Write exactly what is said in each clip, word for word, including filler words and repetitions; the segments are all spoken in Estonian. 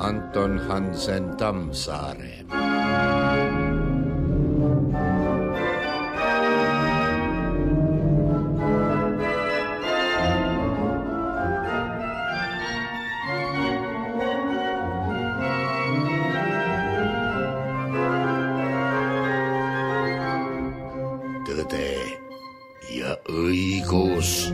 Anton Hansen Tammsaare. Tõde ja õigus.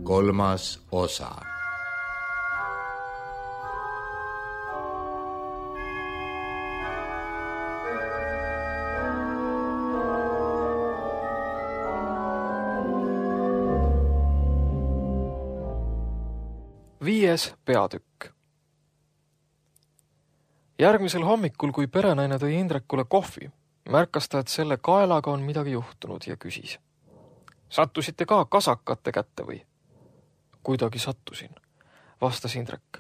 Kolmas osa. Viies peatükk. Järgmisel hommikul, kui perenaine tõi Indrekule kohvi, märkas ta, et selle kaelaga on midagi juhtunud ja küsis. Sattusite ka kasakate kätte või? Kuidagi sattusin, vastas Indrek.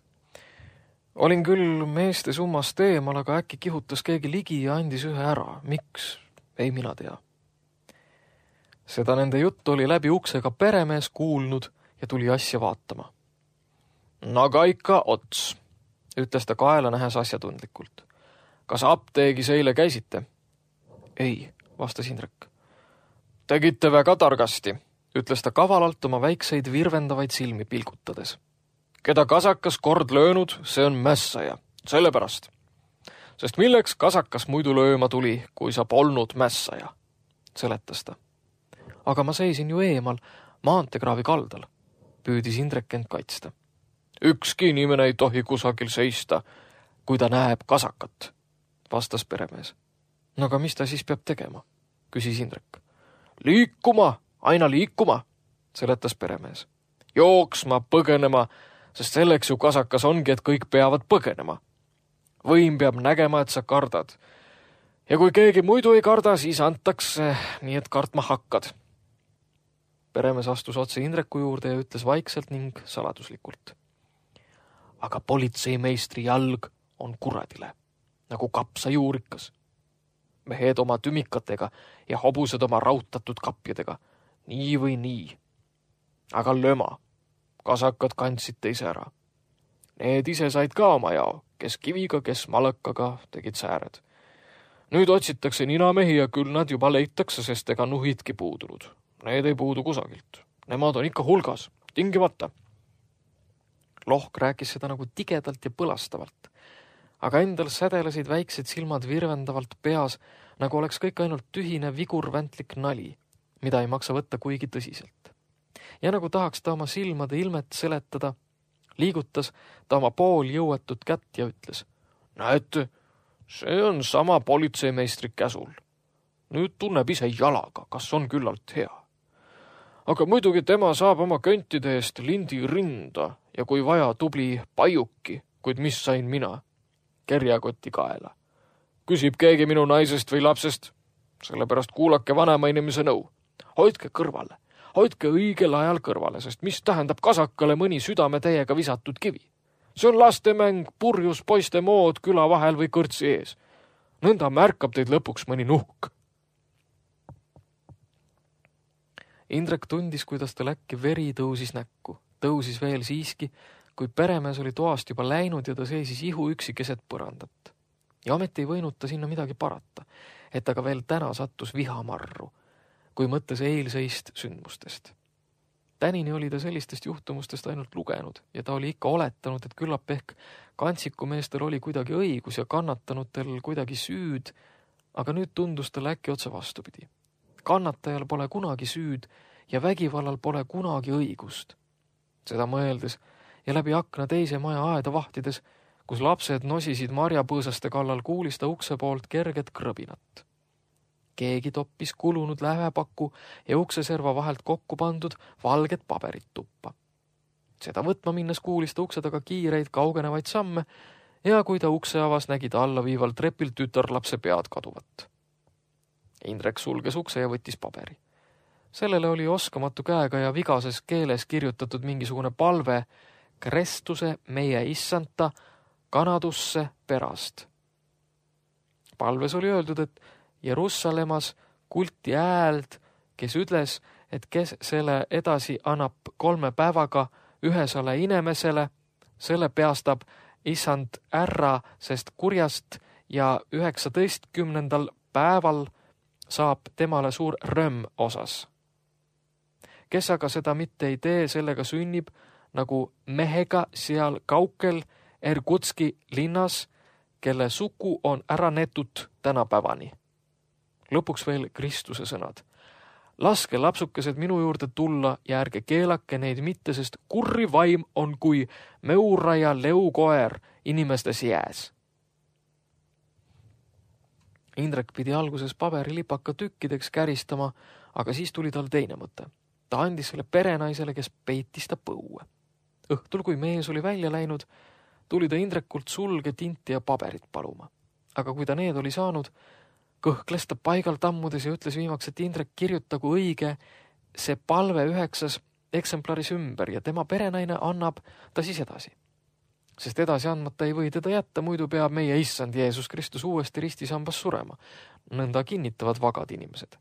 Olin küll meeste summast eemal, aga äkki kihutas keegi ligi ja andis ühe ära. Miks? Ei mina tea. Seda nende juttu oli läbi uksega peremees kuulnud ja tuli asja vaatama. Naga ikka ots, ütles ta kaela nähes asjatundlikult. Kas apteegis eile käisite? Ei, vastas Indrek. Tegite väga targasti, ütles ta kavalalt oma väikseid virvendavaid silmi pilgutades. Keda kasakas kord löönud, see on mässaja, sellepärast. Sest milleks kasakas muidu lööma tuli, kui sa polnud mässaja, seletas ta. Aga ma seisin ju eemal maantekraavi kaldal, püüdis Indrek end kaitsta. Ükski inimene ei tohi kusagil seista, kui ta näeb kasakat, vastas peremees. No aga mis ta siis peab tegema, küsis Indrek. Liikuma, aina liikuma, seletas peremees. Jooksma, põgenema, sest selleks ju kasakas ongi, et kõik peavad põgenema. Võim peab nägema, et sa kardad. Ja kui keegi muidu ei karda, siis antakse, nii et kartma hakkad. Peremees astus otse Indreku juurde ja ütles vaikselt ning saladuslikult. Aga politseimeistri jalg on kuradile, nagu kapsa juurikas. Mehed oma tümikatega ja hobused oma rautatud kapjadega, nii või nii. Aga löma, kasakad kandsid teise ära. Need ise said ka oma jao, kes kiviga, kes malakaga tegid sääred. Nüüd otsitakse ninamehi ja küll nad juba leitakse, sest ega nuhidki puudunud. Need ei puudu kusagilt. Nemad on ikka hulgas, tingimata. Lohk rääkis seda nagu tigedalt ja põlastavalt, aga endal sädelesid väiksed silmad virvendavalt peas, nagu oleks kõik ainult tühine vigurväntlik nali, mida ei maksa võtta kuigi tõsiselt. Ja nagu tahaks ta oma silmade ilmet seletada, liigutas ta oma pool jõuetut kätt ja ütles. Näete, see on sama politseimeistri käsul. Nüüd tunneb ise jalaga, kas on küllalt hea. Aga muidugi tema saab oma köntide eest lindi rinda ja kui vaja tubli pajuki, kuid mis sain mina? Kerjakoti kaela. Küsib keegi minu naisest või lapsest, sellepärast kuulake vanema inimese nõu. Hoidke kõrvale, hoidke õigel ajal kõrvale, sest mis tähendab kasakale mõni südame täiega visatud kivi. See on lastemäng, purjus poiste mood küla vahel või kõrtsi ees. Nõnda märkab teid lõpuks mõni nuhk. Indrek tundis, kuidas tal äkki veri tõusis näkku. Tõusis veel siiski, kui peremees oli toast juba läinud ja ta seisis ihu üksi keset põrandat. Ja ometi ei võinud ta sinna midagi parata, et aga veel täna sattus vihamarru, kui mõttes eilseist sündmustest. Tänini oli ta sellistest juhtumustest ainult lugenud ja ta oli ikka oletanud, et küllap ehk kantsikumeestel oli kuidagi õigus ja kannatanutel kuidagi süüd, aga nüüd tundus tal äkki otse vastupidi. Kannatajal pole kunagi süüd ja vägivallal pole kunagi õigust. Seda mõeldes ja läbi akna teise maja aeda vahtides, kus lapsed nosisid marjapõõsaste kallal, kuulis ta ukse poolt kerget krõbinat. Keegi toppis kulunud lähepaku ja ukseserva vahelt kokku pandud valget paberit tuppa. Seda võtma minnes kuulis ta ukse taga kiireid kaugenevaid samme ja kui ta ukse avas, nägi ta alla viival trepil tütarlapse pead kaduvat. Indrek sulges ukse ja võttis paberi. Sellele oli oskamatu käega ja vigases keeles kirjutatud mingisugune palve Krestuse meie issanta kanadusse perast. Palves oli öeldud, et Jerusalemmas kulti hääld, kes ütles, et kes selle edasi annab kolme päevaga ühesele inimesele, selle peastab issand ära, sest kurjast ja üheksateistkümnendal päeval saab temale suur rõmm osas. Kes aga seda mitte ei tee, sellega sünnib nagu mehega seal kaukel Ergutski linnas, kelle suku on ära netud tänapäevani. Lõpuks veel Kristuse sõnad. Laske lapsukesed minu juurde tulla ja ärge keelake neid mitte, sest kurri vaim on kui meura ja leukoer inimestes jääs. Indrek pidi alguses paberilipaka tükkideks käristama, aga siis tuli tal teine mõte. Ta andis selle perenaisele, kes peitis ta põue. Õhtul, kui mees oli välja läinud, tuli ta Indrekult sulge, tinti ja paberit paluma. Aga kui ta need oli saanud, kõhkles ta paigal tammudes ja ütles viimaks, et Indrek kirjutagu õige see palve üheksas eksemplaris ümber ja tema perenaine annab ta siis edasi. Sest edasi andmata ei või teda jätta, muidu peab meie issand Jeesus Kristus uuesti ristisambas surema. Nõnda kinnitavad vagad inimesed.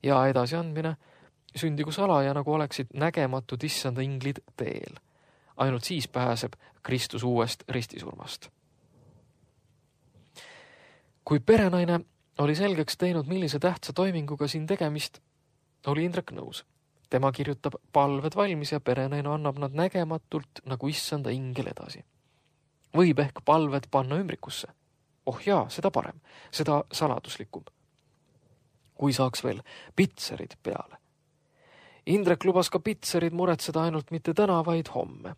Ja edasi andmine sündigu salaja, nagu oleksid nägematud issanda inglid teel. Ainult siis pääseb Kristus uuest ristisurmast. Kui perenaine oli selgeks teinud, millise tähtsa toiminguga siin tegemist, oli Indrek nõus. Tema kirjutab palved valmis ja perenaine annab nad nägematult nagu issanda ingel edasi. Võib ehk palved panna ümbrikusse. Oh jaa, seda parem, seda saladuslikum. Kui saaks veel pitserid peale. Indrek lubas ka pitserid muretseda ainult mitte täna, vaid homme.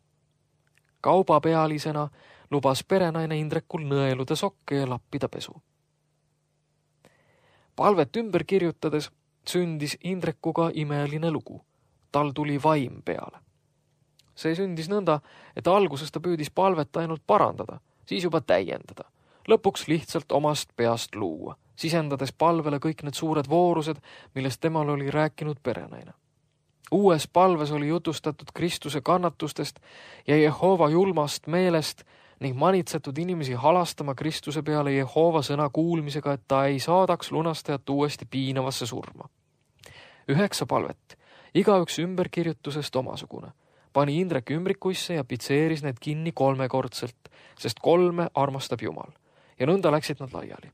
Kaubapealisena lubas perenaine Indrekul nõeluda sokke ja lappida pesu. Palvet ümber kirjutades sündis Indrekuga imeline lugu. Tal tuli vaim peale. See sündis nõnda, et alguses ta püüdis palvet ainult parandada, siis juba täiendada. Lõpuks lihtsalt omast peast luua, sisendades palvele kõik need suured voorused, millest temal oli rääkinud perenaine. Uues palves oli jutustatud Kristuse kannatustest ja Jehova julmast meelest ning manitsetud inimesi halastama Kristuse peale Jehova sõna kuulmisega, et ta ei saadaks lunastajat uuesti piinavasse surma. Üheksa palvet, igaüks ümberkirjutusest omasugune, pani Indrek ümbrikuisse ja pitseeris need kinni kolmekordselt, sest kolme armastab Jumal ja nõnda läksid nad laiali.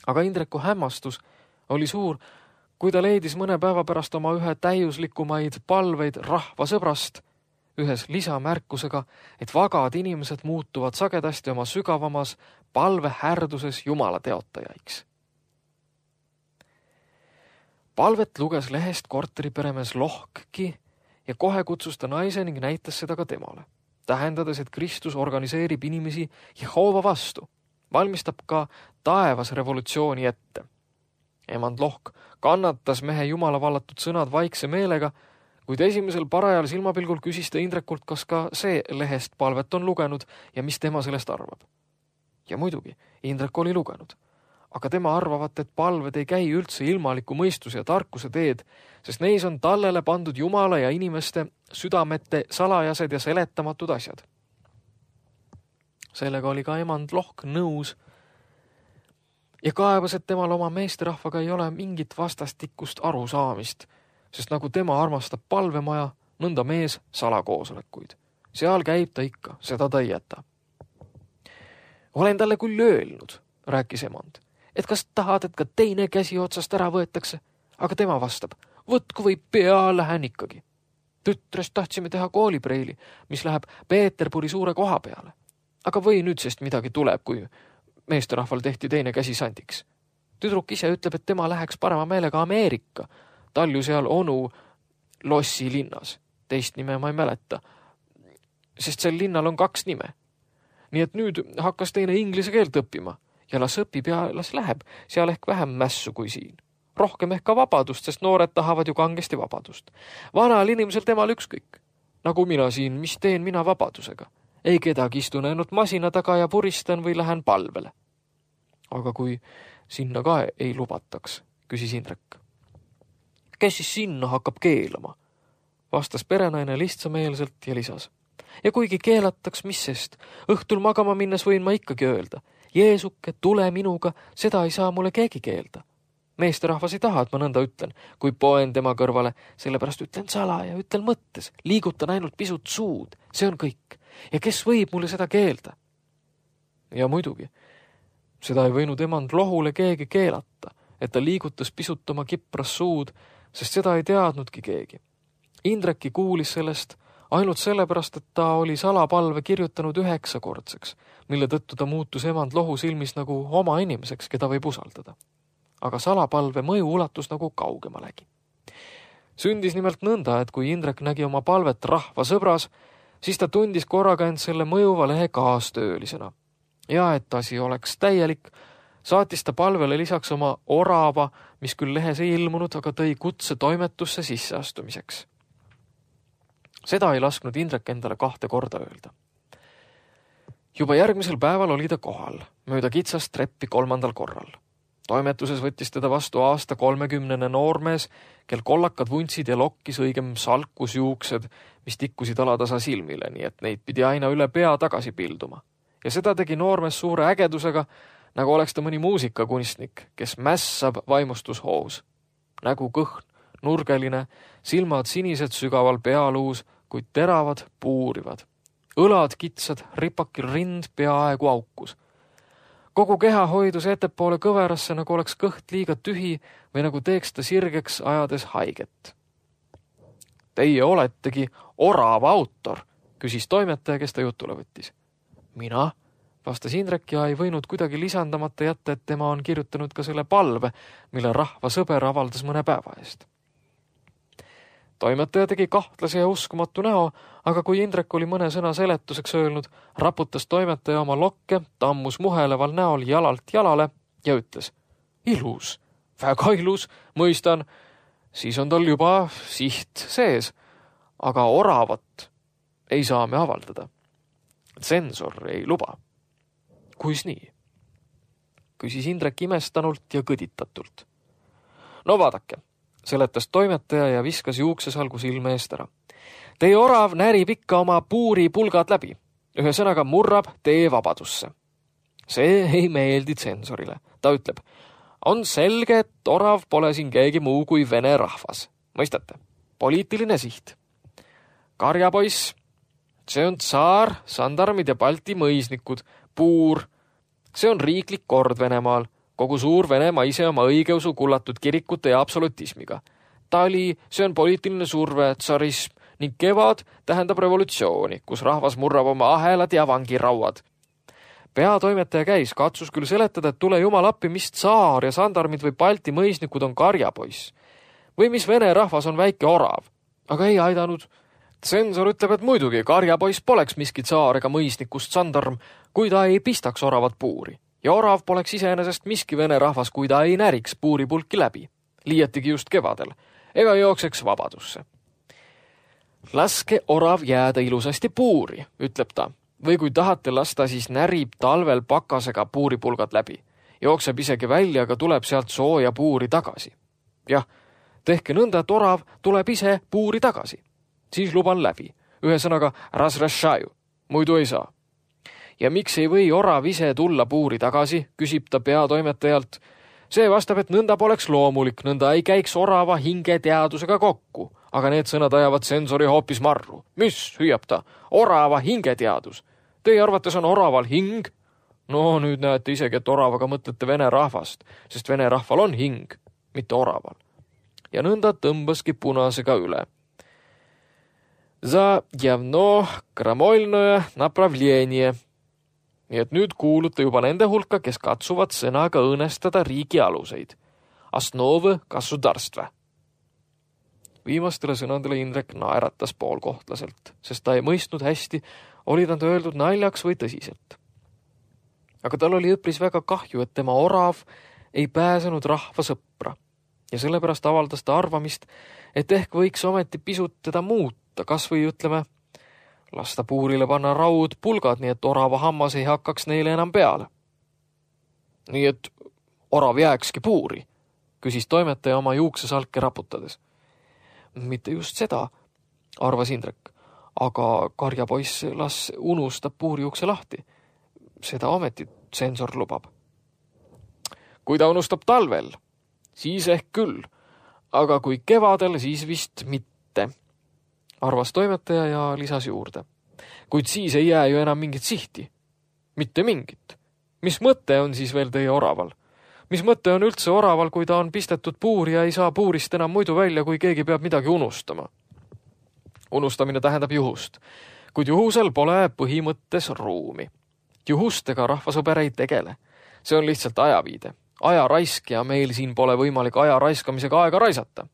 Aga Indreku hämmastus oli suur, kui ta leidis mõne päeva pärast oma ühe täiuslikumaid palveid rahva sõbrast, ühes lisamärkusega, et vagad inimesed muutuvad sagedasti oma sügavamas palvehärduses Jumala teotajaiks. Palvet luges lehest korteriperemees Lohkki ja kohe kutsus ta naise ning näitas seda ka temale, tähendades, et Kristus organiseerib inimesi Jehova vastu, valmistab ka taevas revolutsiooni ette. Emand Lohk kannatas mehe Jumala vallatud sõnad vaikse meelega, kuid esimesel parajal silmapilgul küsis ta Indrekult, kas ka see lehest palvet on lugenud ja mis tema sellest arvab. Ja muidugi, Indrek oli lugenud, aga tema arvavat, et palved ei käi üldse ilmaliku mõistuse ja tarkuse teed, sest neis on tallele pandud Jumala ja inimeste südamete salajased ja seletamatud asjad. Sellega oli ka emand Lohk nõus ja kaebas, et temal oma meesterahvaga ei ole mingit vastastikust arusaamist, sest nagu tema armastab palvemaja, nõnda mees salakoosolekuid. Seal käib ta ikka, seda ta ei jäta. Olen talle küll öelnud, rääkis emand, et kas tahad, et ka teine käsi otsast ära võetakse, aga tema vastab, võtku või pea lähen ikkagi. Tütrest tahtsime teha koolipreili, mis läheb Peeterburi suure koha peale. Aga või nüüd sest midagi tuleb, kui meesterahval tehti teine käsi sandiks. Tüdruk ise ütleb, et tema läheks parema meelega Ameerika, talju seal onu Lossi linnas. Teist nime ma ei mäleta, sest sel linnal on kaks nime. Nii et nüüd hakkas teine inglise keelt õppima ja las õpib ja las läheb, seal ehk vähem mässu kui siin. Rohkem ehk ka vabadust, sest noored tahavad ju kangesti vabadust. Vanal inimesel temal ükskõik. Nagu mina siin, mis teen mina vabadusega? Ei kedagi istun ainult masina taga ja puristan või lähen palvele. Aga kui sinna ka ei lubataks, küsis Indrek. Kes siis sinna hakkab keelama? Vastas perenaine lihtsameelselt ja lisas. Ja kuigi keelataks, mis sest, õhtul magama minnes võin ma ikkagi öelda. Jeesuke, tule minuga, seda ei saa mulle keegi keelda. Meesterahvas ei taha, et ma nõnda ütlen, kui poen tema kõrvale, sellepärast ütlen sala ja ütlen mõttes, liigutan ainult pisut suud, see on kõik. Ja kes võib mulle seda keelda? Ja muidugi, seda ei võinud emand lohule keegi keelata, et ta liigutas pisut oma kipras suud, sest seda ei teadnudki keegi. Indreki kuulis sellest ainult sellepärast, et ta oli salapalve kirjutanud üheksakordseks, mille tõttu ta muutus emand lohu silmis nagu oma inimeseks, keda võib usaldada. Aga salapalve mõju ulatus nagu kaugemalegi. Sündis nimelt nõnda, et kui Indrek nägi oma palvet rahva sõbras, siis ta tundis korraga end selle mõjuva lehe kaastöölisena. Ja et asi oleks täielik, saatis ta palvele lisaks oma orava, mis küll lehes ei ilmunud, aga tõi kutse toimetusse sisseastumiseks. Seda ei lasknud Indrek endale kahte korda öelda. Juba järgmisel päeval oli ta kohal, mööda kitsast treppi kolmandal korral. Toimetuses võttis teda vastu aasta kolmekümnene noormees, kel kollakad vuntsid ja lokkis õigem salkus juuksed, mis tikkusid alatasa silmile, nii et neid pidi aina üle pea tagasi pilduma. Ja seda tegi noormees suure ägedusega, nagu oleks ta mõni muusikakunstnik, kes mässab vaimustushoos. Nägu kõhn, nurgeline, silmad sinised sügaval pealuus, kuid teravad puurivad. Õlad kitsad, ripakil rind peaaegu aukus. Kogu keha hoidus ettepoole kõverasse, nagu oleks kõht liiga tühi või nagu teeks ta sirgeks ajades haiget. Teie oletegi orava autor, küsis toimetaja, kes ta jutule võttis. Mina, vastas Indrek ja ei võinud kuidagi lisandamata jätta, et tema on kirjutanud ka selle palve, mille rahva sõber avaldas mõne päeva eest. Toimetaja tegi kahtlase ja uskumatu näo, aga kui Indrek oli mõne sõna seletuseks öelnud, raputas toimetaja oma lokke, tammus muheleval näol jalalt jalale ja ütles, ilus, väga ilus, mõistan, siis on tal juba siht sees, aga oravat ei saa me avaldada. Tsensor ei luba. Kuis nii? Küsis Indrek imestanult ja kõditatult. No vaadake, seletas toimetaja ja viskas juuksesalgu silme eest ära. Teie orav närib ikka oma puuri pulgad läbi. Ühe sõnaga murrab tee vabadusse. See ei meeldi tsensorile. Ta ütleb, on selge, et orav pole siin keegi muu kui vene rahvas. Mõistate? Poliitiline siht. Karjapoiss, see on tsaar, sandarmid ja Balti mõisnikud, puur. See on riiklik kord Venemaal. Kogu suur Venemaa ise oma õigeusu kullatud kirikute ja absolutismiga. Tali, see on poliitiline surve, tsarism ning kevad tähendab revolutsiooni, kus rahvas murrab oma ahelad ja vangirauad. Peatoimetaja käis, katsus küll seletada, et tule jumal appi, mis tsaar ja sandarmid või Balti mõisnikud on karjapoiss. Või mis vene rahvas on väike orav. Aga ei aidanud. Tsensor ütleb, et muidugi karjapoiss poleks miski tsaar ega mõisnikust sandarm, kui ta ei pistaks oravat puuri. Ja orav poleks iseenesest miski vene rahvas, kui ta ei näriks puuripulki läbi. Liietigi just kevadel. Ega jookseks vabadusse. Laske orav jääda ilusasti puuri, ütleb ta. Või kui tahate lasta, siis närib talvel pakasega puuripulgad läbi. Jookseb isegi välja, aga tuleb sealt sooja puuri tagasi. Jah, tehke nõnda, et orav tuleb ise puuri tagasi. Siis luban läbi. Ühesõnaga razrešaju. Muidu ei saa. Ja miks ei või orav ise tulla puuri tagasi, küsib ta peatoimetajalt. See vastab, et nõnda poleks loomulik, nõnda ei käiks orava hinge teadusega kokku, aga need sõnad ajavad tsensori hoopis marru. Mis, hüüab ta, orava hinge teadus. Teie arvates on oraval hing? No nüüd näete isegi, et oravaga mõtlete vene rahvast, sest vene rahval on hing, mitte oraval. Ja nõnda tõmbaski punasega üle. За явно крамольное направление. Nii et nüüd kuulute juba nende hulka, kes katsuvad sõnaga õõnestada riigi aluseid. Основы государства. Viimastele sõnadele Indrek naeratas poolkohtlaselt, sest ta ei mõistnud hästi, oli ta öeldud naljaks või tõsiselt. Aga tal oli õpris väga kahju, et tema orav ei pääsenud rahva sõpra ja sellepärast avaldas ta arvamist, et ehk võiks ometi pisut teda muuta, kas või ütleme, lasta puurile panna raud pulgad, nii et orava hammas ei hakkaks neile enam peale. Nii et orav jääkski puuri, küsis toimetaja oma juuksesalke raputades. Mitte just seda, arvas Indrek, aga karjapoiss las unustab puuriukse lahti. Seda ometi tsensor lubab. Kui ta unustab talvel, siis ehk küll, aga kui kevadel, siis vist mitte, arvas toimetaja ja lisas juurde. Kuid siis ei jää ju enam mingit sihti. Mitte mingit. Mis mõte on siis veel teie oraval? Mis mõte on üldse oraval, kui ta on pistetud puuri ja ei saa puurist enam muidu välja, kui keegi peab midagi unustama? Unustamine tähendab juhust, kuid juhusel pole põhimõttes ruumi. Juhustega rahvasõber ei tegele. See on lihtsalt ajaviide. Aja raisk ja meil siin pole võimalik aja raiskamisega aega raisata.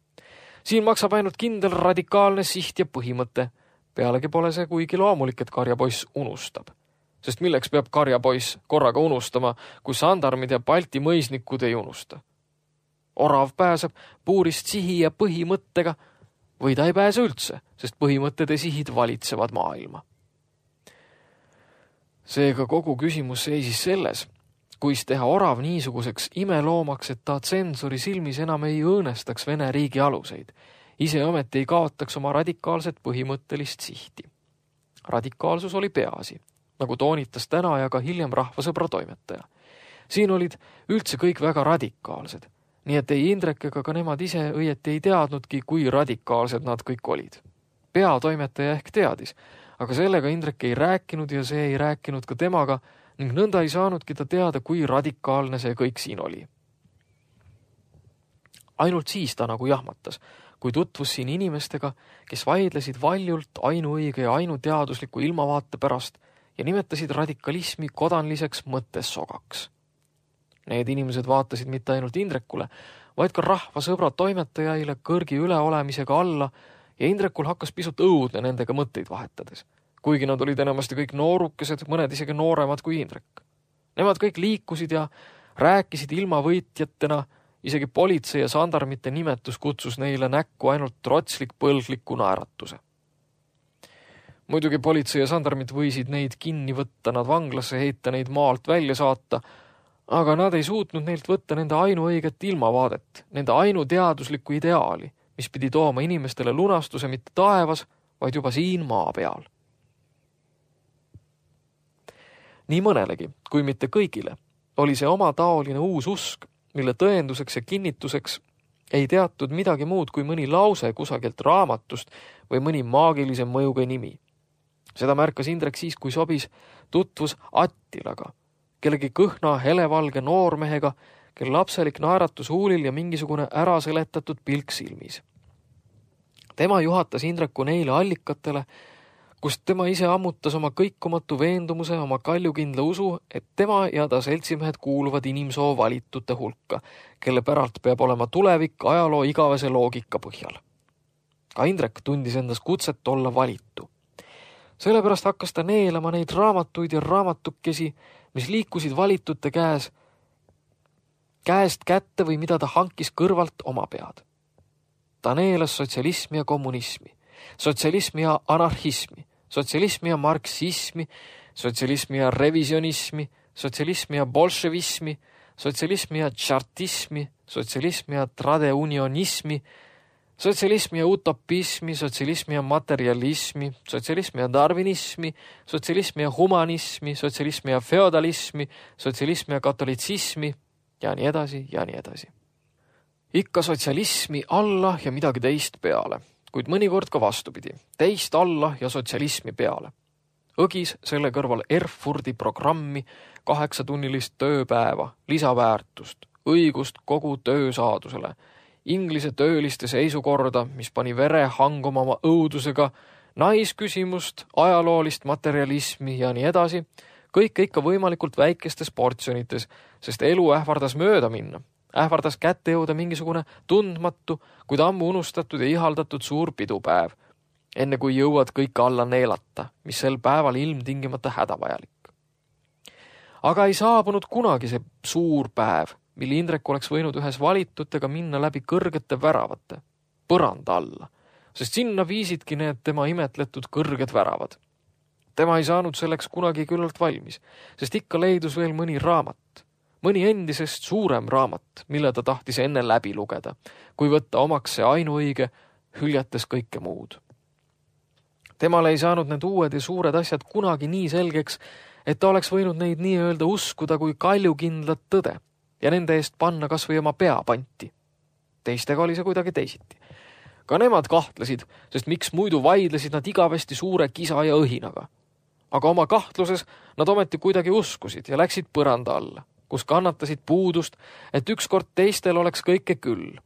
Siin maksab ainult kindel radikaalne siht ja põhimõte. Pealegi pole see kuigi loomulik, et karjapoiss unustab. Sest milleks peab karjapoiss korraga unustama, kui sandarmid ja Balti mõisnikud ei unusta? Orav pääseb puurist sihi ja põhimõttega või ta ei pääse üldse, sest põhimõtted ja sihid valitsevad maailma. Seega kogu küsimus seisis selles, kuis teha orav niisuguseks imeloomaks, et ta tsensori silmis enam ei õõnestaks Vene riigi aluseid. Ise ometi ei kaotaks oma radikaalset põhimõttelist sihti. Radikaalsus oli peaasi, nagu toonitas täna ja ka hiljem rahvasõbra toimetaja. Siin olid üldse kõik väga radikaalsed, nii et ei Indrek ega ka nemad ise õieti ei teadnudki, kui radikaalsed nad kõik olid. Peatoimetaja ehk teadis, aga sellega Indrek ei rääkinud ja see ei rääkinud ka temaga ning nõnda ei saanudki ta teada, kui radikaalne see kõik siin oli. Ainult siis ta nagu jahmatas, kui tutvus siin inimestega, kes vaidlesid valjult ainuõige ja ainuteadusliku ilmavaate pärast ja nimetasid radikalismi kodanliseks mõttessogaks. Need inimesed vaatasid mitte ainult Indrekule, vaid ka rahvasõbra toimetajaile kõrgi üleolemisega alla ja Indrekul hakkas pisut õudne nendega mõtteid vahetades, kuigi nad olid enamasti kõik noorukesed, mõned isegi nooremad kui Indrek. Nemad kõik liikusid ja rääkisid ilma võitjatena, isegi politsei ja sandarmite nimetus kutsus neile näkku ainult trotslik põlgliku naeratuse. Muidugi politsei ja sandarmid võisid neid kinni võtta, nad vanglasse heita, neid maalt välja saata, aga nad ei suutnud neilt võtta nende ainuõiget ilmavaadet, nende ainuteaduslikku ideaali, mis pidi tooma inimestele lunastuse mitte taevas, vaid juba siin maa peal. Nii mõnelegi, kui mitte kõigile, oli see oma taoline uus usk, mille tõenduseks ja kinnituseks ei teatud midagi muud kui mõni lause kusagilt raamatust või mõni maagilise mõjuga nimi. Seda märkas Indrek siis, kui sobis tutvus Attilaga, kellegi kõhna helevalge noormehega, kel lapselik naeratus huulil ja mingisugune äraseletatud pilk silmis. Tema juhatas Indreku neile allikatele, kust tema ise ammutas oma kõikumatu veendumuse, oma kaljukindla usu, et tema ja ta seltsimehed kuuluvad inimsoo valitute hulka, kelle päralt peab olema tulevik ajaloo igavese loogika põhjal. Ka Indrek tundis endas kutset olla valitu. Sellepärast hakkas ta neelama neid raamatuid ja raamatukesi, mis liikusid valitute käes, käest kätte või mida ta hankis kõrvalt oma pead. Ta neelas sotsialismi ja kommunismi, sotsialismi ja anarhismi, sotsialismi ja marksismi, sotsialismi ja revisionismi, sotsialismi ja bolševismi, sotsialismi ja tšartismi, sotsialismi ja tradeunionismi, sotsialismi ja utopismi, sotsialismi ja materialismi, sotsialismi ja darwinismi, sotsialismi ja humanismi, sotsialismi ja feodalismi, sotsialismi ja katolitsismi ja nii edasi ja nii edasi. Ikka sotsialismi alla ja midagi teist peale, kuid mõnikord ka vastupidi, teist alla ja sotsialismi peale. Õgis selle kõrval Erfurdi programmi, kaheksatunnilist tööpäeva, lisaväärtust, õigust kogu töösaadusele, Inglise tööliste seisukorda, mis pani vere hanguma oma õudusega, naisküsimust, ajaloolist materialismi ja nii edasi, kõike ikka võimalikult väikestes portsjonites, sest elu ähvardas mööda minna. Ähvardas kätte jõuda mingisugune tundmatu, kuid ammu unustatud ja ihaldatud suur pidupäev, enne kui jõuad kõike alla neelata, mis sel päeval ilmtingimata hädavajalik. Aga ei saabunud kunagi see suur päev, mil Indrek oleks võinud ühes valitutega minna läbi kõrgete väravate, põranda alla, sest sinna viisidki need tema imetletud kõrged väravad. Tema ei saanud selleks kunagi küllalt valmis, sest ikka leidus veel mõni raamat, mõni endisest suurem raamat, mille ta tahtis enne läbi lugeda, kui võtta omaks see ainuõige, hüljates kõike muud. Temale ei saanud need uued ja suured asjad kunagi nii selgeks, et ta oleks võinud neid nii-öelda uskuda kui kaljukindlat tõde ja nende eest panna kas või oma pea panti. Teistega oli see kuidagi teisiti. Ka nemad kahtlesid, sest miks muidu vaidlesid nad igavesti suure kisa ja õhinaga. Aga oma kahtluses nad ometi kuidagi uskusid ja läksid põranda alla, kus kannatasid puudust, et ükskord teistel oleks kõike küll.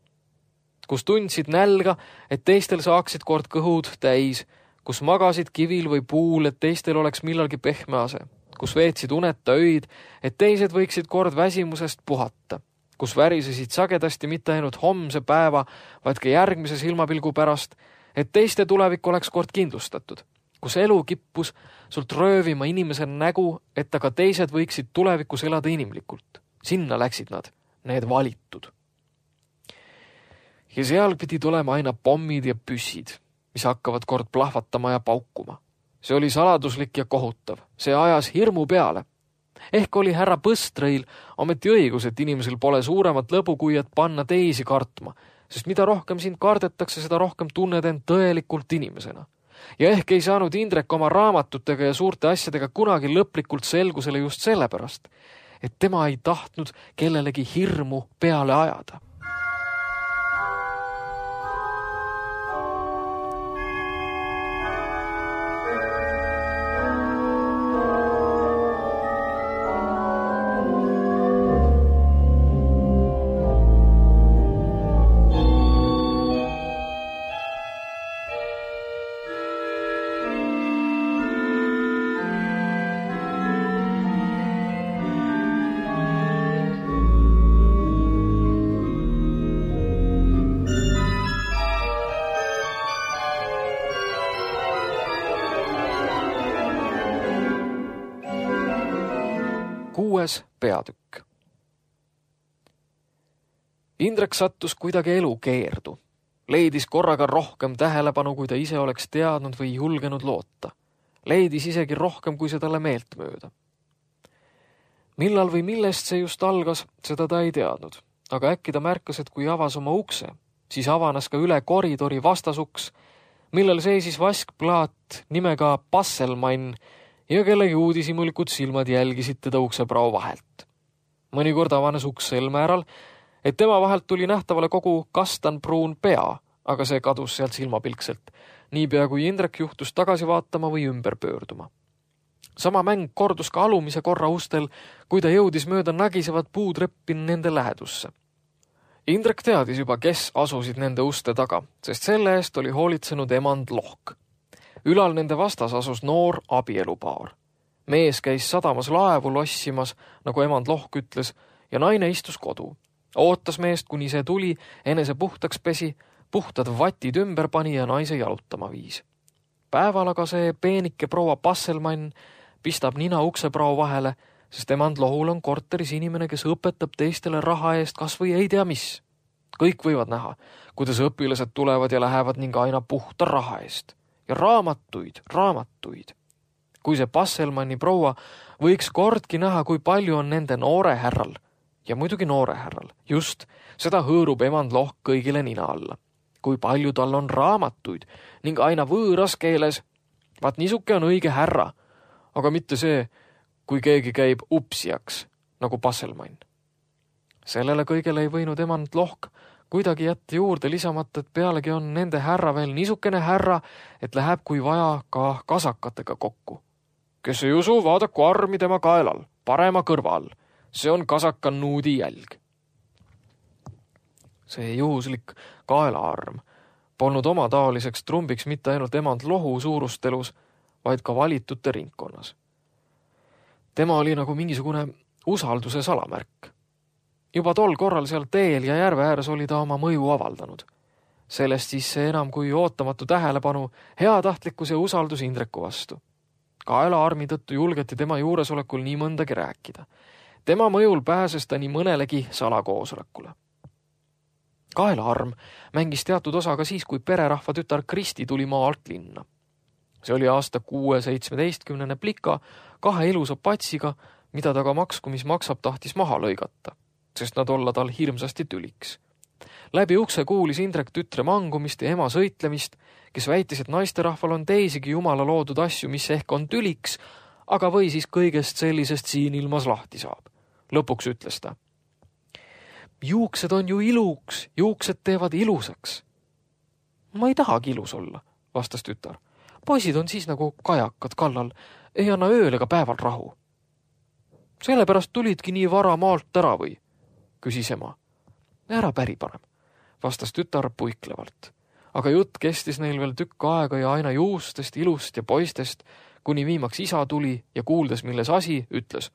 Kus tundsid nälga, et teistel saaksid kord kõhud täis, kus magasid kivil või puul, et teistel oleks millalgi pehme ase, kus veetsid uneta öid, et teised võiksid kord väsimusest puhata, kus värisesid sagedasti mitte ainult homse päeva, vaid ka järgmise silmapilgu pärast, et teiste tulevik oleks kord kindlustatud, kus elu kippus sult röövima inimese nägu, et aga teised võiksid tulevikus elada inimlikult. Sinna läksid nad, need valitud. Ja seal pidi tulema aina pommid ja püssid, mis hakkavad kord plahvatama ja paukuma. See oli saladuslik ja kohutav. See ajas hirmu peale. Ehk oli härra Põstreil ometi õigus, et inimesel pole suuremat lõbu kui et panna teisi kartma, sest mida rohkem sind kardetakse, seda rohkem tunned end tõelikult inimesena. Ja ehk ei saanud Indrek oma raamatutega ja suurte asjadega kunagi lõplikult selgusele just sellepärast, et tema ei tahtnud kellelegi hirmu peale ajada. Kuues peatükk. Indrek sattus kuidagi elu keerdu. Leidis korraga rohkem tähelepanu, kui ta ise oleks teadnud või julgenud loota. Leidis isegi rohkem, kui see talle meelt mööda. Millal või millest see just algas, seda ta ei teadnud. Aga äkki ta märkas, et kui avas oma ukse, siis avanes ka üle koridori vastasuks, millel seisis vaskplaat nimega Passelmann, ja kelle uudishimulikud silmad jälgisid teda ukseprao vahelt. Mõnikord avanes uks sel määral, et tema vahelt tuli nähtavale kogu kastanpruun pea, aga see kadus sealt silmapilkselt, niipea kui Indrek juhtus tagasi vaatama või ümber pöörduma. Sama mäng kordus ka alumise korra ustel, kui ta jõudis mööda nagisevat puutreppi nende lähedusse. Indrek teadis juba, kes asusid nende uste taga, sest selle eest oli hoolitsenud emand Lohk. Ülal nende vastas asus noor abielupaar. Mees käis sadamas laevu lossimas, nagu emand Lohk ütles, ja naine istus kodu. Ootas meest, kuni see tuli, enese puhtaks pesi, puhtad vatid ümber pani ja naise jalutama viis. Päeval aga see peenike proua Passelmann pistab nina ukseprao vahele, sest emand Lohul on korteris inimene, kes õpetab teistele raha eest kas või ei tea mis. Kõik võivad näha, kuidas õpilased tulevad ja lähevad ning aina puhta raha eest. Ja raamatuid, raamatuid. Kui see Passelmanni proua võiks kordki näha, kui palju on nende noore härral, ja muidugi noore härral, just seda hõõrub emand Lohk kõigile nina alla. Kui palju tal on raamatuid ning aina võõras keeles, vaat niisuke on õige härra, aga mitte see, kui keegi käib upsijaks, nagu Passelmann. Sellele kõigele ei võinud emand Lohk kuidagi jätta juurde lisamata, et pealegi on nende härra veel niisukene härra, et läheb kui vaja ka kasakatega kokku. Kes ei usu, vaadaku armi tema kaelal, parema kõrva all. See on kasaka nuudi jälg. See juhuslik kaelaarm polnud oma taoliseks trumbiks mitte ainult emand Lohu suurustelus, vaid ka valitute ringkonnas. Tema oli nagu mingisugune usalduse salamärk. Juba tol korral seal teel ja järve ääres oli ta oma mõju avaldanud. Sellest siis see enam kui ootamatu tähelepanu, heatahtlikkus ja usaldus Indreku vastu. Kaelaarmi tõttu julgeti tema juuresolekul nii mõndagi rääkida. Tema mõjul pääses ta nii mõnelegi salakoosolekule. Kaelaarm mängis teatud osa ka siis, kui pererahva tütar Kristi tuli maalt linna. See oli aasta kuue seitsmeteistkümnene plika kahe ilusa patsiga, mida ta ka maksku, mis maksab, tahtis maha lõigata, sest nad olla tal hirmsasti tüliks. Läbi ukse kuulis Indrek tütre mangumist ja ema sõitlemist, kes väitis, et naisterahval on teisigi jumala loodud asju, mis ehk on tüliks, aga või siis kõigest sellisest siin ilmas lahti saab. Lõpuks ütles ta: juuksed on ju iluks, juuksed teevad ilusaks. Ma ei tahagi ilus olla, vastas tütar. Poisid on siis nagu kajakad kallal, ei anna ööl ega päeval rahu. Sellepärast tulidki nii vara maalt ära või, küsis ema. Ära päri parem, vastas tütar puiklevalt. Aga jutt kestis neil veel tükk aega ja aina juustest, ilust ja poistest, kuni viimaks isa tuli ja kuuldes, milles asi, ütles: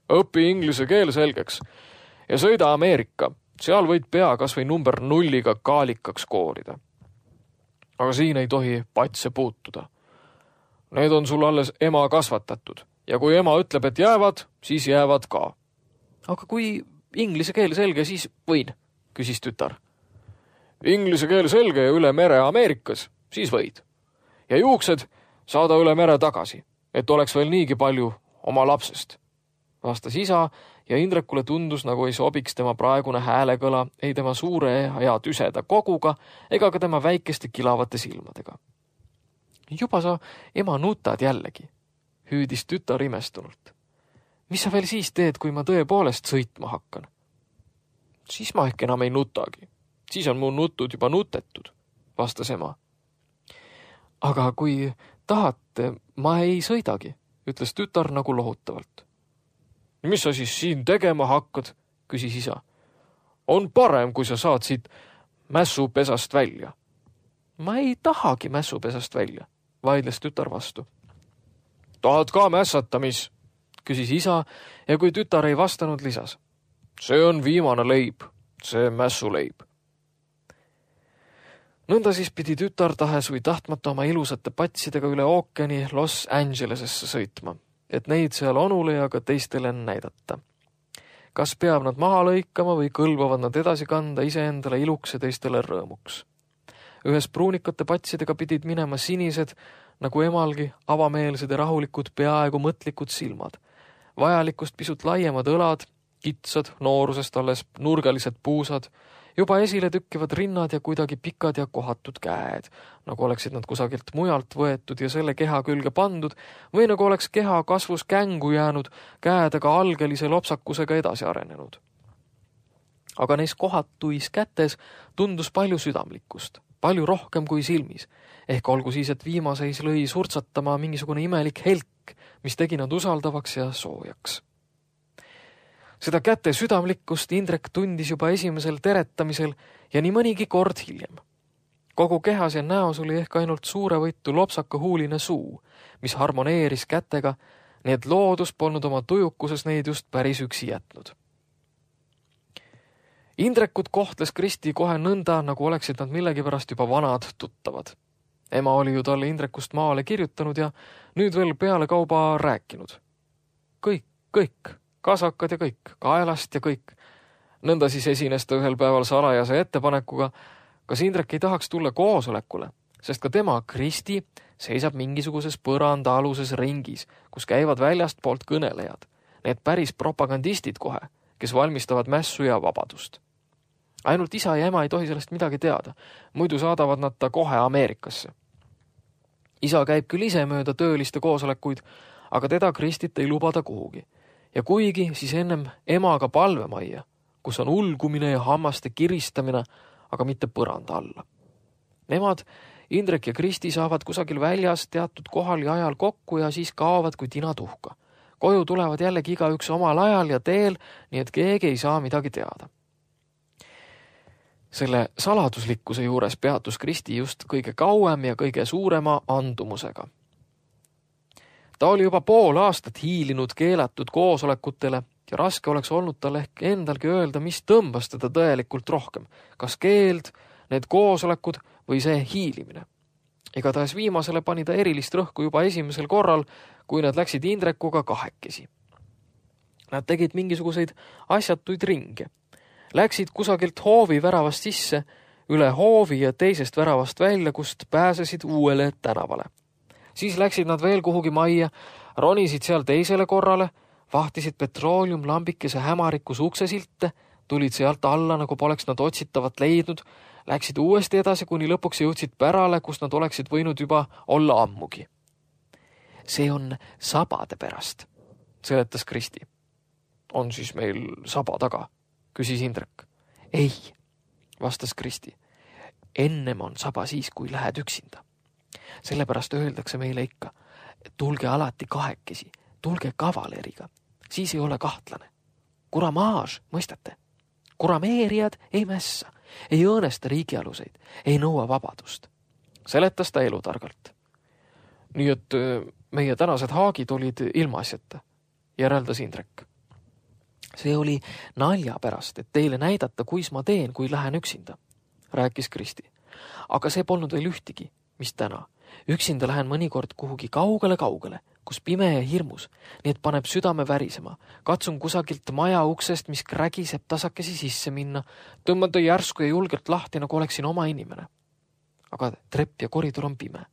õpi inglise keel selgeks ja sõida Ameerika, seal võid pea kas või number nulliga kaalikaks koorida. Aga siin ei tohi patse puutuda. Need on sul alles ema kasvatatud ja kui ema ütleb, et jäävad, siis jäävad ka. Aga kui inglise keel selge, siis võin, küsis tütar. Inglise keel selge ja üle mere Ameerikas, siis võid. Ja juuksed saada üle mere tagasi, et oleks veel niigi palju oma lapsest, vastas isa ja Indrekule tundus, nagu ei sobiks tema praegune häälekõla ei tema suure ja tüseda koguga ega ka tema väikeste kilavate silmadega. Juba sa ema nutad jällegi, hüüdis tütar imestunult. Mis sa veel siis teed, kui ma tõepoolest sõitma hakkan? Siis ma ehk enam ei nutagi. Siis on mu nutud juba nutetud, vastas ema. Aga kui tahate, ma ei sõidagi, ütles tütar nagu lohutavalt. Mis sa siis siin tegema hakkad, küsis isa. On parem, kui sa saad siit mässupesast välja. Ma ei tahagi mässupesast välja, vaidles tütar vastu. Tahad ka mässata, mis? Küsis isa ja kui tütar ei vastanud, lisas. See on viimane leib, see mässuleib. Nõnda siis pidi tütar tahes või tahtmata oma ilusate patsidega üle ookeani Los Angelesesse sõitma, et neid seal onule ja ka teistele näidata. Kas peab nad maha lõikama või kõlbavad nad edasi kanda iseendale iluks ja teistele rõõmuks. Ühes pruunikate patsidega pidid minema sinised, nagu emalgi, avameelsed ja rahulikud, peaaegu mõtlikud silmad. Vajalikust pisut laiemad õlad, kitsad, noorusest alles nurgalised puusad, juba esile tükkivad rinnad ja kuidagi pikad ja kohatud käed, nagu oleksid nad kusagilt mujalt võetud ja selle keha külge pandud, või nagu oleks keha kasvus kängu jäänud, käed aga algelise lopsakusega edasi arenenud. Aga neis kohatuis kätes tundus palju südamlikkust, palju rohkem kui silmis, ehk olgu siis, et viimaseis lõi surtsatama mingisugune imelik helk, mis tegi nad usaldavaks ja soojaks. Seda käte südamlikkust Indrek tundis juba esimesel teretamisel ja nii mõnigi kord hiljem. Kogu kehas ja näos oli ehk ainult suurevõitu lopsaka huuline suu, mis harmoneeris kätega, nii et loodus polnud oma tujukuses neid just päris üksi jätnud. Indrekut kohtles Kristi kohe nõnda, nagu oleksid nad millegipärast juba vanad tuttavad. Ema oli ju talle Indrekust maale kirjutanud ja nüüd veel peale kauba rääkinud. Kõik, kõik. Kasakad ja kõik, kaelast ja kõik. Nõnda siis esines ta ühel päeval salajase ettepanekuga, kas Indrek ei tahaks tulla koosolekule, sest ka tema, Kristi, seisab mingisuguses põranda aluses ringis, kus käivad väljast poolt kõnelejad. Need päris propagandistid kohe, kes valmistavad mässu ja vabadust. Ainult isa ja ema ei tohi sellest midagi teada, muidu saadavad nad ta kohe Ameerikasse. Isa käib küll ise mööda tööliste koosolekuid, aga teda Kristit ei lubada kuhugi. Ja kuigi siis ennem emaga palvemajja, kus on ulgumine ja hammaste kiristamine, aga mitte põranda alla. Nemad, Indrek ja Kristi, saavad kusagil väljas teatud kohal ja ajal kokku ja siis kaovad kui tina tuhka. Koju tulevad jällegi igaüks omal ajal ja teel, nii et keegi ei saa midagi teada. Selle saladuslikkuse juures peatus Kristi just kõige kauem ja kõige suurema andumusega. Ta oli juba pool aastat hiilinud keelatud koosolekutele ja raske oleks olnud tal ehk endalgi öelda, mis tõmbas teda tõelikult rohkem, kas keeld, need koosolekud või see hiilimine. Igatahes viimasele pani ta erilist rõhku juba esimesel korral, kui nad läksid Indrekuga kahekesi. Nad tegid mingisuguseid asjatuid ringe. Läksid kusagilt hoovi väravast sisse, üle hoovi ja teisest väravast välja, kust pääsesid uuele tänavale. Siis läksid nad veel kuhugi majja, ronisid seal teisele korrale, vahtisid petrooliumlambikese hämarikus uksesilte, tulid sealt alla, nagu poleks nad otsitavat leidnud, läksid uuesti edasi, kuni lõpuks jõudsid pärale, kus nad oleksid võinud juba olla ammugi. See on sabade pärast, seletas Kristi. On siis meil saba taga, küsis Indrek. Ei, vastas Kristi. Ennem on saba siis, kui lähed üksinda. Sellepärast öeldakse meile ikka, tulge alati kahekesi, tulge kavaleriga, siis ei ole kahtlane. Kuramaaž, mõistate? Kurameerijad ei mässa, ei õõnesta riigialuseid, ei nõua vabadust. Seletas ta elutargalt. Nii et meie tänased haagid olid ilmaasjata, järeldas Indrek. See oli nalja pärast, et teile näidata, kuis ma teen, kui lähen üksinda, rääkis Kristi. Aga see polnud veel ühtigi, mis täna. Üksinda lähen mõnikord kuhugi kaugele-kaugele, kus pime ja hirmus, nii et paneb südame värisema. Katsun kusagilt maja uksest, mis krägiseb tasakesi sisse minna, tõmmata järsku ja julgelt lahti, nagu oleksin oma inimene. Aga trepp ja koridor on pime.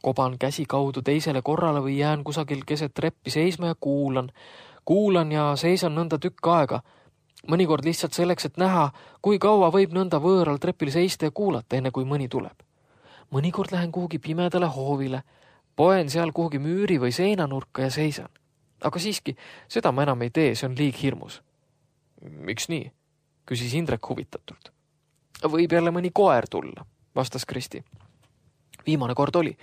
Koban käsi kaudu teisele korrale või jään kusagil keset treppi seisma ja kuulan. Kuulan ja seisan nõnda tükk aega. Mõnikord lihtsalt selleks, et näha, kui kaua võib nõnda võõral trepil seista ja kuulata, enne kui mõni tuleb. Mõnikord lähen kuhugi pimedale hoovile, poen seal kuhugi müüri või seinanurka ja seisan. Aga siiski, seda ma enam ei tee, see on liig hirmus. Miks nii? Küsis Indrek huvitatult. Võib jälle mõni koer tulla, vastas Kristi. Viimane kord oli.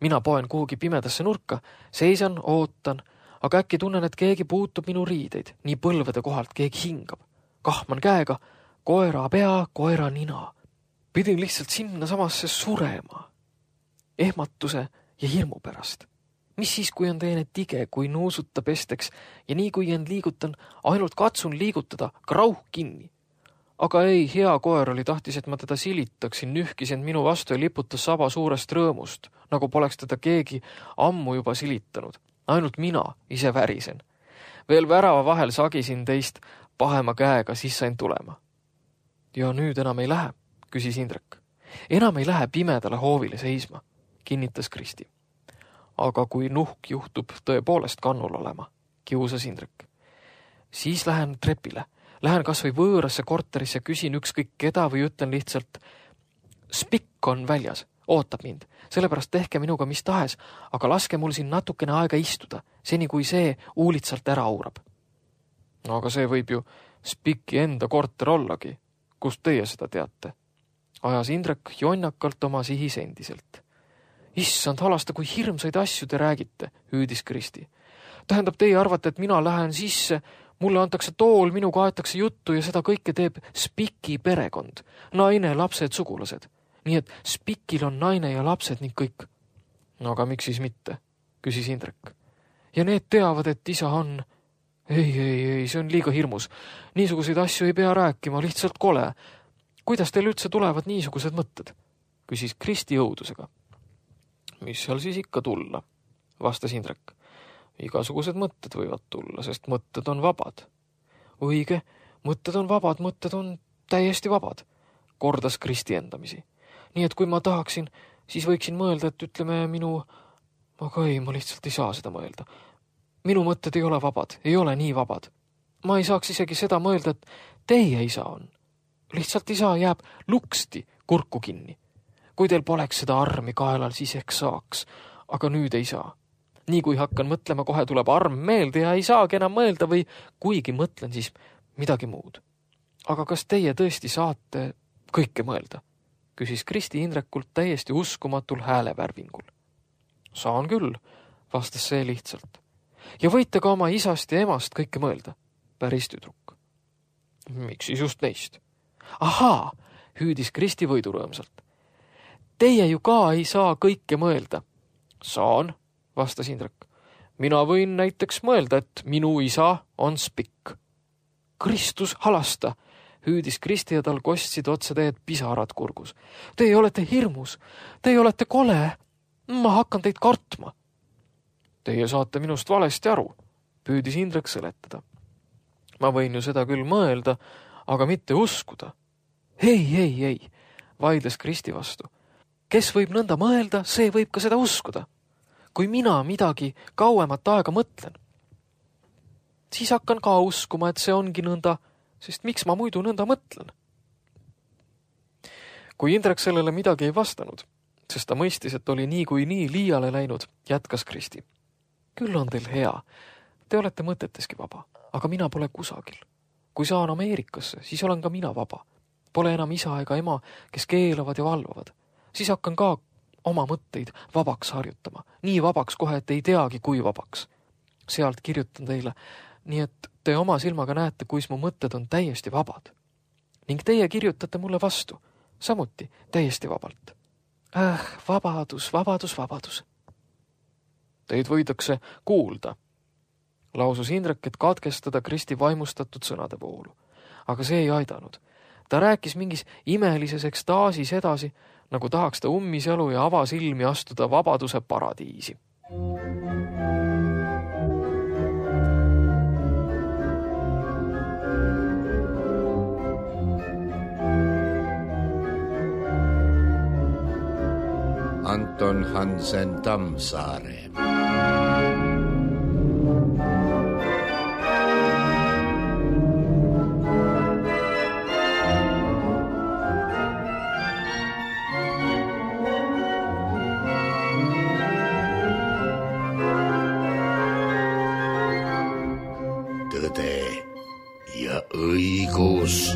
Mina poen kuhugi pimedasse nurka, seisan, ootan, aga äkki tunnen, et keegi puutub minu riideid, nii põlvede kohalt keegi hingab. Kahman käega, koera pea, koera nina. Pidin lihtsalt sinna samasse surema. Ehmatuse ja hirmu pärast. Mis siis, kui on teine tige, kui nuusutab esteks ja nii kui end liigutan, ainult katsun liigutada, krauh kinni. Aga ei, hea koer oli tahtis, et ma teda silitaksin, nühkis end minu vastu ja liputas saba suurest rõõmust, nagu poleks teda keegi ammu juba silitanud. Ainult mina ise värisen. Veel värava vahel sagisin teist pahema käega, siis sain tulema. Ja nüüd enam ei lähe, küsis Indrek. Enam ei lähe pimedale hoovile seisma, kinnitas Kristi. Aga kui nuhk juhtub tõepoolest kannul olema, kiusas Indrek. Siis lähen trepile. Lähen kas või võõrasse korterisse, küsin ükskõik keda või ütlen lihtsalt, spikk on väljas, ootab mind, sellepärast tehke minuga mis tahes, aga laske mul siin natukene aega istuda, seni kui see uulitsalt ära aurab. No aga see võib ju spikki enda korter ollagi. Kust teie seda teate? Ajas Indrek jonnakalt oma sihis endiselt. Issand, halasta, kui hirmsaid asju te räägite, hüüdis Kristi. Tähendab, teie arvate, et mina lähen sisse, mulle antakse tool, minuga aetakse juttu ja seda kõike teeb spiki perekond. Naine, lapsed, sugulased. Nii et spikil on naine ja lapsed ning kõik. No aga miks siis mitte, küsis Indrek. Ja need teavad, et isa on... Ei, ei, ei, see on liiga hirmus. Niisuguseid asju ei pea rääkima, lihtsalt kole. Kuidas teil üldse tulevad niisugused mõtted? Küsis Kristi õudusega. Mis seal siis ikka tulla? Vastas Indrek. Igasugused mõtted võivad tulla, sest mõtted on vabad. Õige, mõtted on vabad, mõtted on täiesti vabad, kordas Kristi endamisi. Nii et kui ma tahaksin, siis võiksin mõelda, et ütleme minu... Aga ei, ma lihtsalt ei saa seda mõelda. Minu mõtted ei ole vabad, ei ole nii vabad. Ma ei saaks isegi seda mõelda, et teie isa on. Lihtsalt isa jääb luksti kurku kinni. Kui teil poleks seda armi kaelal, siis ehk saaks, aga nüüd ei saa. Nii kui hakkan mõtlema, kohe tuleb arm meelde ja ei saagi enam mõelda või kuigi mõtlen, siis midagi muud. Aga kas teie tõesti saate kõike mõelda? Küsis Kristi Indrekult täiesti uskumatul häälevärvingul. Saan küll, vastas see lihtsalt. Ja võite ka oma isast ja emast kõike mõelda, päris tüdruk. Miks siis just neist? Ahaa, hüüdis Kristi võidurõõmsalt. Teie ju ka ei saa kõike mõelda. Saan, vastas Indrek. Mina võin näiteks mõelda, et minu isa on spikk. Kristus halasta, hüüdis Kristi ja tal kostsid otse teed pisarad kurgus. Teie olete hirmus, teie olete kole, ma hakkan teid kartma. Teie saate minust valesti aru, püüdis Indrek seletada. Ma võin ju seda küll mõelda, aga mitte uskuda. Ei, ei, ei, vaidles Kristi vastu. Kes võib nõnda mõelda, see võib ka seda uskuda. Kui mina midagi kauemat aega mõtlen. Siis hakkan ka uskuma, et see ongi nõnda, sest miks ma muidu nõnda mõtlen? Kui Indrek sellele midagi ei vastanud, sest ta mõistis, et oli nii kui nii liiale läinud, jätkas Kristi. Küll on teil hea. Te olete mõteteski vaba, aga mina pole kusagil. Kui saan Ameerikasse, siis olen ka mina vaba. Pole enam isa ega ema, kes keelavad ja valvavad. Siis hakkan ka oma mõtteid vabaks harjutama. Nii vabaks kohe, et ei teagi, kui vabaks. Sealt kirjutan teile, nii et te oma silmaga näete, kuis mu mõtted on täiesti vabad. Ning teie kirjutate mulle vastu, samuti täiesti vabalt. Äh, vabadus, vabadus, vabadus. Teid võidakse kuulda, lausus Indrek, et katkestada Kristi vaimustatud sõnade voolu. Aga see ei aidanud. Ta rääkis mingis imelises ekstaasis edasi, nagu tahaks ta ummisjalu ja avasilmi astuda vabaduse paradiisi. Anton Hansen Tammsaare. Tõde ja õigus.